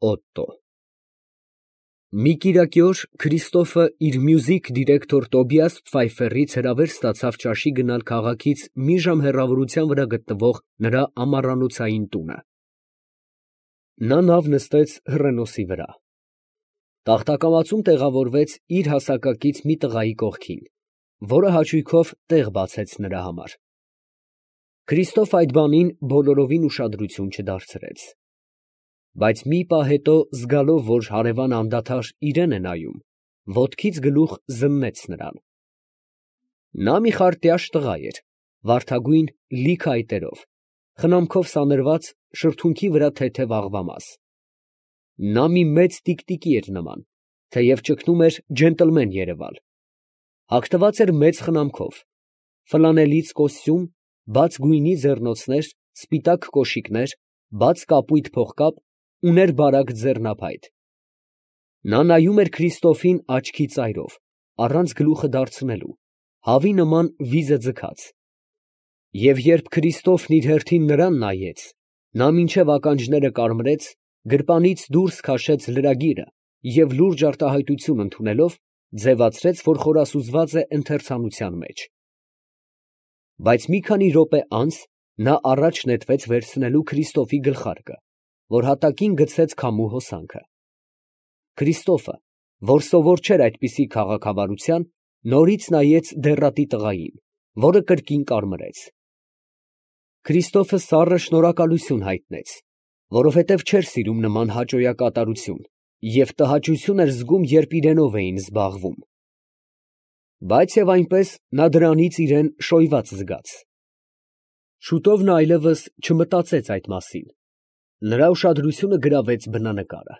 Օտտո Մի կիրակի օր Քրիստոֆը իր մյուզիք դիրեկտոր Տոբիաս Փֆայֆերից հրավեր ստացավ ճաշի գնալ քաղաքից մի ժամ հեռավորության վրա գտնվող նրա ամառանոցային տունը։ Նա նավ նստեց հռենոսի վրա։ Տախտակամածում տեղավորվեց իր հասակակից մի տղայի կողքին, որը հաճույքով տեղ բացեց նրա համար։ Քրիստոֆը այդ բանին բոլորովին ուշադրություն չդարձրեց։ Բայց մի պահ հետո, զգալով, որ հարևանը անդադար իրան է նայում, ոտքից գլուխ զննեց նրան։ Նա մի խարտյաշ տղա էր, վարդագույն լիք այտերով, խնամքով սանրված, շրթունքի վրա թեթև աղվամաս։ Նա մի մեծ տիկտիկի էր նման, թեև ճգնում էր ջենտլմեն երևալ։ Հագնված էր մեծ խնամքով, ֆլանելից կոստյում, բաց գույնի ձեռնոցներ, սպիտակ կոշիկներ, բաց կապույտ փողկապ, ուներ բարակ ձեռնափայտ։ Նա նայում էր Քրիստոֆին աչքի ծայրով, առանց գլուխը դարձնելու, հավի նման վիզը ձգած։ Եվ երբ Քրիստոֆն իր հերթին նրան նայեց, նա մինչև ականջները կարմրեց, գրպանից դուրս քաշեց լրագիրը և լուրջ արտահայտություն ընդունելով, ձևացրեց, որ խորասուզված է ընթերցանության մեջ։ Բայց մի քանի րոպե անց նա առաջ նետվեց վերցնելու Քրիստոֆի գլխարկը, որ հատակին գցեց քամու հոսանքը։ Քրիստոֆը, որ սովոր չէր այդպիսի քաղաքավարության, նորից նայեց դեռատի տղային, որը կրկին կարմրեց։ Քրիստոֆը սառը շնորհակալություն հայտնեց, որովհետև չէր սիրում նման հաճոյակատարություն և տհաճություն էր զգում, երբ իրենով էին զբաղվում։ Բայց և այնպես նա դրանից իրան շոյված զգաց։ Շուտով նա այլևս չմտածեց այդ մասին։ Նրա ուշադրությունը գրավեց բնանկարը։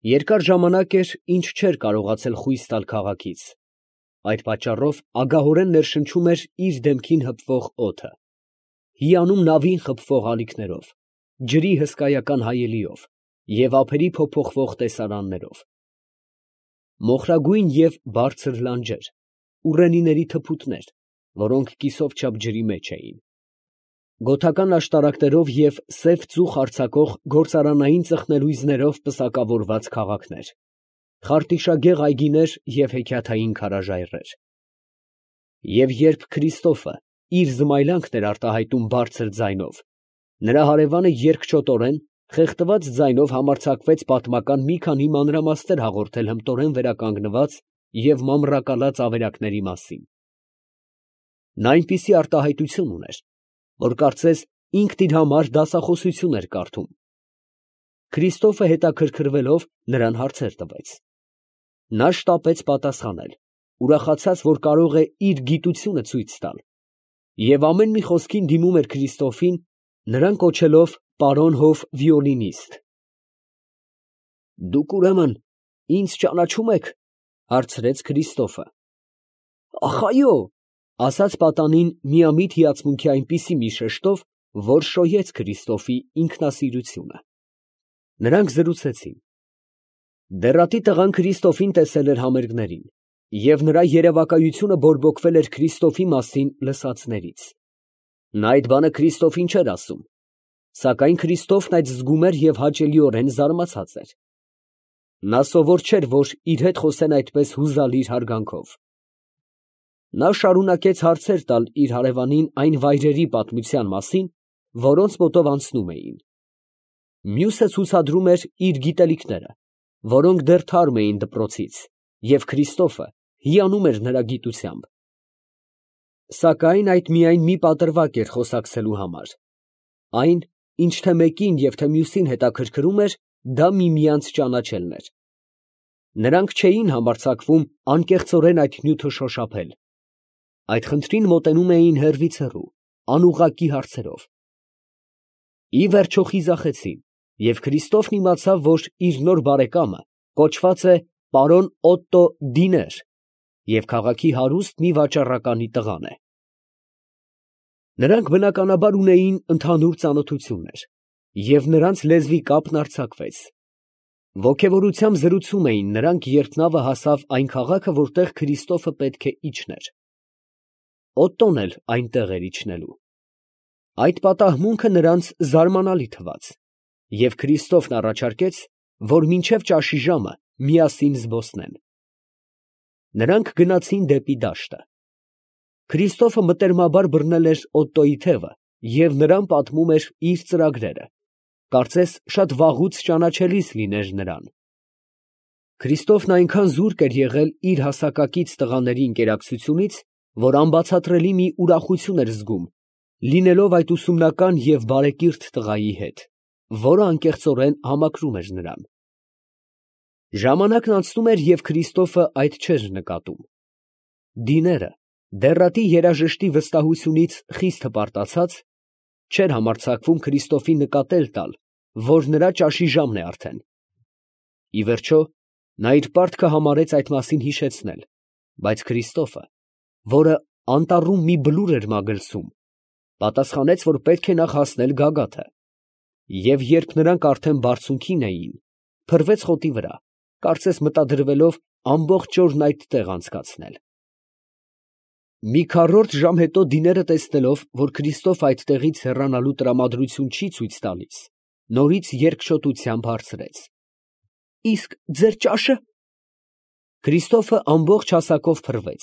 Երկար ժամանակ էր, ինչ չէր կարողացել խույս տալ քաղաքից։ Այդ պատճառով ագահորեն ներշնչում էր իր դեմքին հպվող օդը, հիանում նավին խփվող ալիքներով, ջրի հսկայական հայելիով և ափերի փոփոխվող տեսարաններով։ Մոխրագույն և բարձր լանջեր, ուռենիների թփուտներ, որոնք կիսով չափ ջրի մեջ էին։ Գոթական աշտարակներով և սև ծուխ արձակող գործարանային ծխնելույզներով պսակավորված քաղաքներ, խարտիշագեղ այգիներ և հեքիաթային քարաժայռեր։ Եվ երբ Քրիստոֆը իր զմայլանքն էր արտահայտում բարձր ձայնով, նրա հարևանը երկչոտորեն, խեղդված ձայնով համարձակվեց պատմական մի քանի մանրամասներ հաղորդել հմտորեն վերականգնված և մամռակալած ավերակների մասին։ Նա այնպիսի արտահայտություն ուներ, որ կարծես ինքն իր համար դասախոսություն էր կարդում։ Քրիստոֆը հետաքրքրվելով նրան հարցեր տվեց։ Նա շտապեց պատասխանել, ուրախացած, որ կարող է իր գիտությունը ցույց տալ, և ամեն մի խոսքին դիմում էր Քրիստոֆին, նրան կոչելով պարոն հոֆ վիոլինիստ։ «Դուք, ուրեմն, ինձ ճանաչում եք, ֊ հարցրեց Քրիստոֆը։ ֊ Ախ, այո, ֊ ասաց պատանին միամիտ հիացմունքի այնպիսի մի շեշտով, որ շոյեց Քրիստոֆի ինքնասիրությունը։ Նրանք զրուցեցին։ Դեռատի տղան Քրիստոֆին տեսել էր համերգներին, և նրա երևակայությունը բորբոքվել էր Քրիստոֆի մասին լսածներից։ Նա այդ բանը Քրիստոֆին չէր ասում, սակայն Քրիստոֆն այդ զգում էր և հաճելիորեն զարմացած էր։ Նա սովոր չէր, որ իր հետ խոսեն այդպես հուզալիր հարգանքով։ Նա շարունակեց հարցեր տալ իր հարևանին այն վայրերի պատմության մասին, որոնց մոտով անցնում էին։ Մյուսը ցուցադրում էր իր գիտելիքները, որոնք դեռ թարմ էին դպրոցից, և Քրիստոֆը հիանում էր նրա գիտությամբ։ Սակայն այդ միայն մի պատրվակ էր խոսակցելու համար։ Այն, ինչ թե մեկին և թե մյուսին հետաքրքրում էր, դա միմյանց ճանաչելն էր։ Նրանք չէին համարձակվում անկեղծորեն այդ նյութը շոշափել։ Այդ խնդրին մոտենում էին հեռվից հեռու, անուղղակի հարցերով։ Ի վերջո խիզախեցին, և Քրիստոֆն իմացավ, որ իր նոր բարեկամը կոչված է պարոն Օտտո Դիներ և քաղաքի հարուստ մի վաճառականի տղան է։ Նրանք բնականաբար ունեին ընդհանուր ծանոթություններ, և նրանց լեզվի կապն արձակվեց։ Ոգևորությամբ զրուցում էին նրանք, երբ նավը հասավ այն քաղաքը, որտեղ Քրիստոֆը պետք է իջներ։ Օտտոն էլ այնտեղ էր իջնելու։ Այդ պատահմունքը նրանց զարմանալի թվաց, և Քրիստոֆն առաջարկեց, որ մինչև ճաշի ժամը միասին զբոսնեն։ Նրանք գնացին դեպի դաշտը։ Քրիստոֆը մտերմաբար բռնել էր Օտտոյի թևը և նրան պատմում էր իր ծրագրերը, կարծես շատ վաղուց ճանաչելիս լիներ նրան։ Քրիստոֆն այնքան զուրկ էր եղել իր հասակակից տղաների ընկերակցությունից, որ անբացատրելի մի ուրախություն էր զգում, լինելով այդ ուսումնական և բարեկիրթ տղայի հետ, որը անկեղծորեն համակրում էր նրան։ Ժամանակն անցնում էր, և Քրիստոֆը այդ չէր նկատում։ Դիները, դեռատի երաժշտի վստահությունից խիստ հպարտացած, չէր համարձակվում Քրիստոֆին նկատել տալ, որ նրա ճաշի ժամն է արդեն։ Ի վերջո, նա իր պարտքը համարեց այդ մասին հիշեցնել, բայց Քրիստոֆը, որը անտառում մի բլուր էր մագլցում, պատասխանեց, որ պետք է նախ հասնել գագաթը, և երբ նրանք արդեն բարձունքին էին, փռվեց խոտի վրա, կարծես մտադրվելով ամբողջ օրն այդտեղ անցկացնել։ Մի քառորդ ժամ հետո դիները տեսնելով, որ Քրիստոֆը այդտեղից հեռանալու տրամադրություն չի ցույց տալիս, նորից երկչոտությամբ հարցրեց. «Իսկ ձեր ճա՞շը»։ Քրիստոֆը ամբողջ հասակով փռվեց,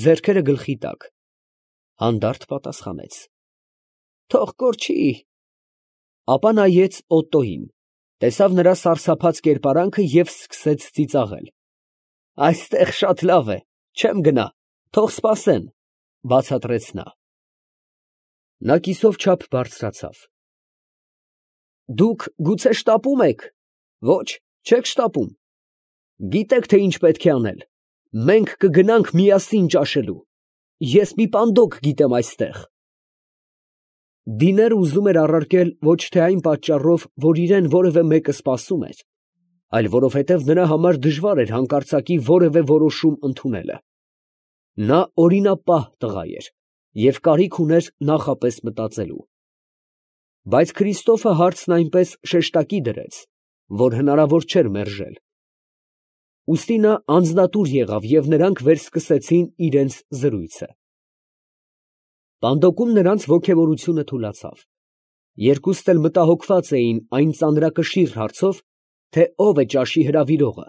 ձեռքերը գլխի տակ, հանդարտ պատասխանեց. «Թող կորչի»։ Ապա նայեց Օտտոյին, տեսավ նրա սարսափած կերպարանքը և սկսեց ծիծաղել։ «Այստեղ շատ լավ է, չեմ գնա, թող սպասեն», ֊ բացատրեց նա։ Նա կիսով չափ բարձրացավ։ «Դուք գուցե շտապում եք»։ «Ոչ, չեք շտապում։ Գիտեք, թե ինչ պետք է անել. մենք կգնանք միասին ճաշելու։ Ես մի պանդոկ գիտեմ այստեղ»։ Դիները ուզում էր առարկել ոչ թե այն պատճառով, որ իրան որևէ մեկը սպասում էր, այլ որովհետև նրա համար դժվար էր հանկարծակի որևէ որոշում ընդունելը։ Նա օրինապահ տղա էր և կարիք ուներ նախապես մտածելու։ Բայց Քրիստոֆը հարցն այնպես շեշտակի դրեց, որ հնարավոր չէր մերժել։ Ուստի նա անձնատուր եղավ, և նրանք վերսկսեցին իրենց զրույցը։ Պանդոկում նրանց ոգևորությունը թուլացավ։ Երկուստ էլ մտահոգված էին այն ծանրակշիռ հարցով, թե ով է ճաշի հրավիրողը,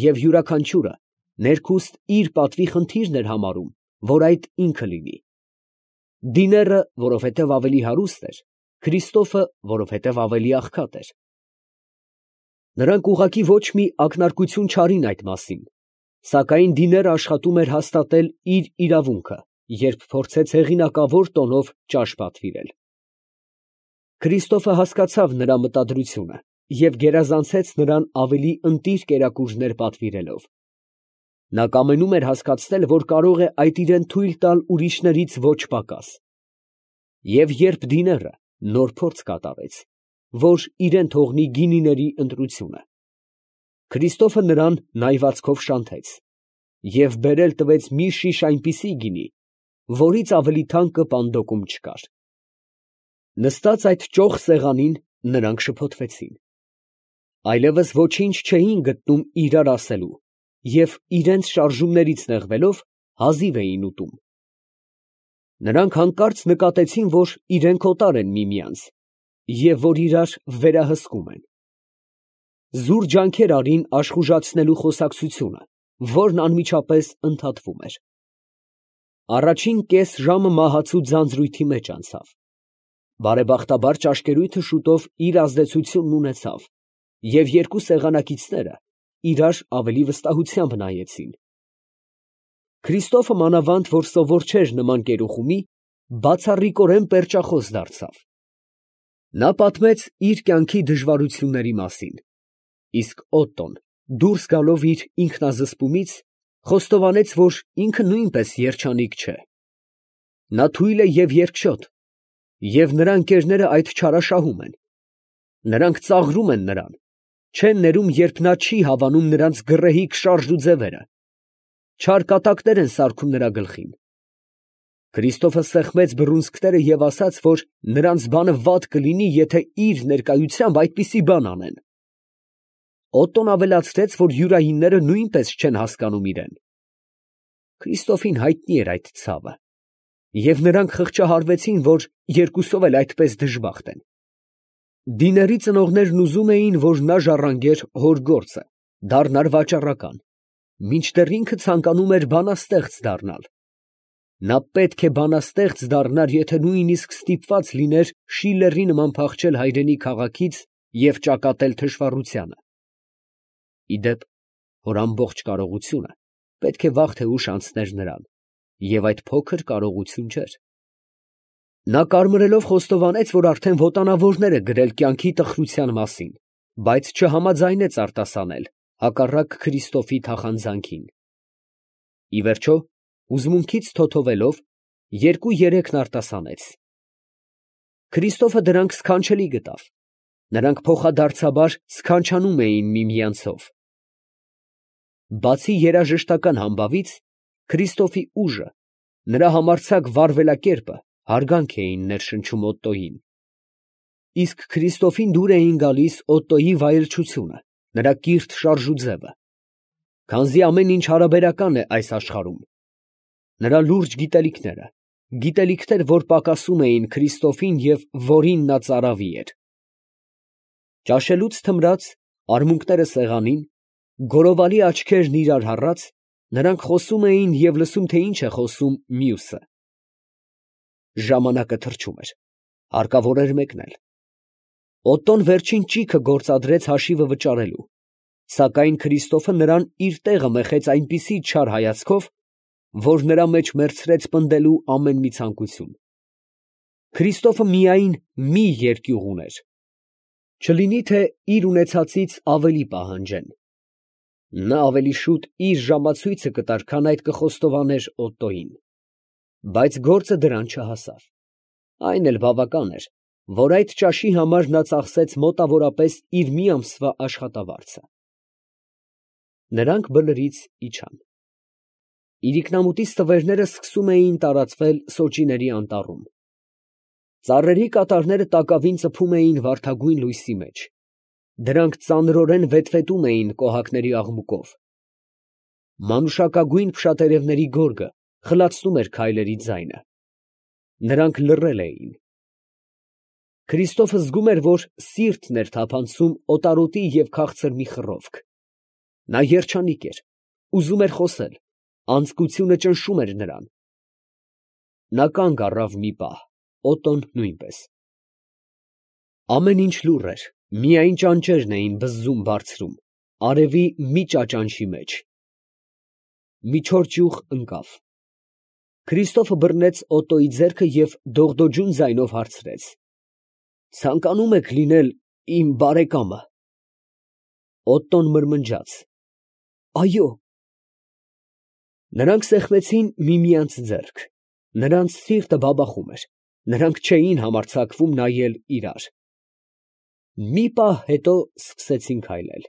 և յուրաքանչյուրը ներքուստ իր պատվի խնդիրն էր համարում, որ այդ ինքը լինի։ Դիները, որովհետև ավելի հարուստ էր, Քրիստոֆը, որովհետև ավելի աղքատ էր։ Նրանք ուղղակի ոչ մի ակնարկություն չարին այդ մասին, սակայն դիները աշխատում էր հաստատել իր իրավունքը, երբ փորձեց հեղինակավոր տոնով ճաշ պատվիրել։ Քրիստոֆը հասկացավ նրա մտադրությունը և գերազանցեց նրան ավելի ընտիր կերակուրներ պատվիրելով։ Նա կամենում էր հասկացնել, որ կարող է այդ իրան թույլ տալ ուրիշներից ոչ պակաս։ Եվ երբ դիները նոր փորձ կատարեց, որ իրան թողնի գինիների ընտրությունը, Քրիստոֆը նրան նայվածքով շանթեց և բերել տվեց մի շիշ այնպիսի գինի, որից ավելի թանկը պանդոկում չկար։ Նստած այդ ճոխ սեղանին, նրանք շփոթվեցին։ Այլևս ոչինչ չէին գտնում իրար ասելու և իրենց շարժումներից նեղվելով հազիվ էին ուտում։ Նրանք հանկարծ նկատեցին, որ իրենք օտար են միմյանց և որ իրար վերահսկում են։ Զուր ջանքեր արին աշխուժացնելու խոսակցությունը, որն անմիջապես ընդհատվում էր։ Առաջին կես ժամը մահացու ձանձրույթի մեջ անցավ։ Բարեբախտաբար ճաշկերույթը շուտով իր ազդեցությունն ունեցավ, և երկու սեղանակիցները իրար ավելի վստահությամբ նայեցին։ Քրիստոֆը մանավանդ, որ սովոր չէր նման կերուխումի, բացառիկորեն պերճախոս դարձավ։ Նա պատմեց իր կյանքի դժվարությունների մասին, իսկ Օտտոն, դուրս գալով իր ինքնազսպումից, խոստովանեց, որ ինքը նույնպես երջանիկ չէ։ Նա թույլ է և երկչոտ, և նրա ընկերները այդ չարաշահում են։ Նրանք ծաղրում են նրան, չեն ներում, երբ նա չի հավանում նրանց գռեհիկ շարժ ու ձևերը, չար կատակներ են սարքում նրա գլխին։ Քրիստոֆը սեղմեց բռունցքները և ասաց, որ նրանց բանը վատ կլինի, եթե իր ներկայությամբ այդպիսի բան անեն։ Օտտոն ավելացրեց, որ յուրայինները նույնպես չեն հասկանում իրան։ Քրիստոֆին հայտնի էր այդ ցավը, և նրանք խղճահարվեցին, որ երկուսով էլ այդպես դժբախտ են։ Դիների ծնողներն ուզում էին, որ նա ժառանգեր հոր գործը, դառնար վաճառական, մինչդեռ ինքը ցանկանում էր բանաստեղծ դառնալ. նա պետք է բանաստեղծ դառնար, եթե նույնիսկ ստիպված լիներ Շիլլերի նման փախչել հայրենի քաղաքից և ճակատել թշվառությանը։ Ի դեպ, հոր ամբողջ կարողությունը պետք է վաղ թե ուշ անցներ նրան, և այդ փոքր կարողություն չէր։ Նա կարմրելով խոստովանեց, որ արդեն ոտանավորներ է գրել կյանքի տխրության մասին, բայց չհամաձայնեց արտասանել, հակառակ Քրիստոֆի թախանձանքին։ Ի վերջո, հուզմունքից թոթովելով, երկու երեքն արտասանեց։ Քրիստոֆը դրանք սքանչելի գտավ, նրանք փոխադարձաբար սքանչանում էին միմյանցով։ Բացի երաժշտական համբավից, Քրիստոֆի ուժը, նրա համարձակ վարվելակերպը հարգանք էին ներշնչում Օտտոյին։ Իսկ Քրիստոֆին դուր էին գալիս Օտտոյի վայելչությունը, նրա կիրթ շարժուձևը, քանզի ամեն ինչ հարաբերական է այս աշխարհում, նրա լուրջ գիտելիքները, գիտելիքներ, որ պակասում էին Քրիստոֆին և որին նա ծարավի էր։ Ճաշելուց թմրած, արմունկները սեղանին, գորովալի աչքերն իրար հառած, նրանք խոսում էին և լսում, թե ինչ է խոսում մյուսը։ Ժամանակը թռչում էր, հարկավոր էր մեկնել։ Օտտոն վերջին ճիգը գործադրեց հաշիվը վճարելու, սակայն Քրիստոֆը նրան իր տեղը մեխեց այնպիսի չար հայացքով, որ նրա մեջ մեռցրեց պնդելու ամեն մի ցանկություն։ Քրիստոֆը միայն մի երկյուղ ուներ, չլինի թե իր ունեցածից ավելի պահանջեն։ Նա ավելի շուտ իր ժամացույցը կտար, քան այդ կխոստովաներ Օտտոյին, բայց գործը դրան չհասավ։ Այն էլ բավական էր, որ այդ ճաշի համար նա ծախսեց մոտավորապես իր մի ամսվա աշխատավարձը։ Նրանք բլրից իջան։ Իրիկնամուտի ստվերները սկսում էին տարածվել Սոճիների անտառում։ Ծառերի կատարները տակավին ծփում էին վարդագույն լույսի մեջ։ Դրանք ծանրորեն վետվետում էին կոհակների աղմուկով։ Մանուշակագույն փշատերևների գորգը խլացնում էր քայլերի ձայնը։ Նրանք լռել էին։ Քրիստոֆը զգում էր, որ սիրտն էր թափանցում օտարոտի և քաղցր մի խռովք։ Նա երջանիկ էր, ուզում էր խոսել, անձկությունը ճնշում էր նրան։ Նա կանգ առավ մի պահ, Օտտոն նույնպես։ Ամեն ինչ լուռ էր, միայն ճանճերն էին բզզում բարձրում, արևի մի ճաճանչի մեջ։ Մի չոր ճյուղ ընկավ։ Քրիստոֆը բռնեց Օտտոյի ձեռքը և դողդոջուն ձայնով հարցրեց. «Ցանկանում եք լինել իմ բարեկամը»։ Օտտոն մրմնջաց. «Այո»։ Նրանք սեղմեցին միմյանց ձեռք, նրանց սիրտը բաբախում էր, նրանք չէին համարձակվում նայել իրար։ Մի պահ հետո սկսեցին քայլել։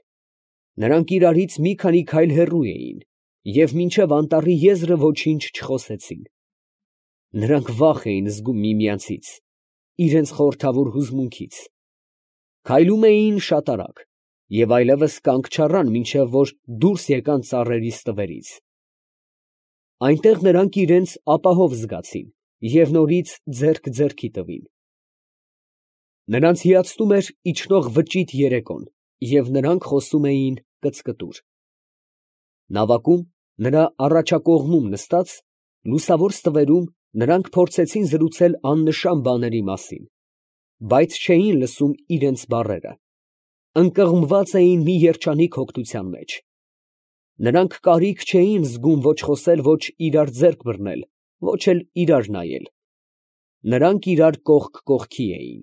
Նրանք իրարից մի քանի քայլ հեռու էին և մինչև անտառի եզրը ոչինչ չխոսեցին։ Նրանք վախ էին զգում միմյանցից, իրենց խորհրդավոր հուզմունքից։ Քայլում էին շատ արագ և այլևս կանգ չառան, մինչև որ դուրս եկան ծառերի ստվերից։ Այնտեղ նրանք իրենց ապահով զգացին և նորից ձեռք ձեռքի տվին։ Նրանց հիացնում էր իջնող վճիտ երեկոն, և նրանք խոսում էին կծկտուր։ Նավակում, նրա առաջակողմում նստած, լուսավոր ստվերում, նրանք փորձեցին զրուցել աննշան բաների մասին, բայց չէին լսում իրենց բառերը, ընկղմված էին մի երջանիկ հոգնության մեջ։ Նրանք կարիք չէին զգում ոչ խոսել, ոչ իրար ձեռք բռնել, ոչ էլ իրար նայել։ Նրանք իրար կողք կողքի էին։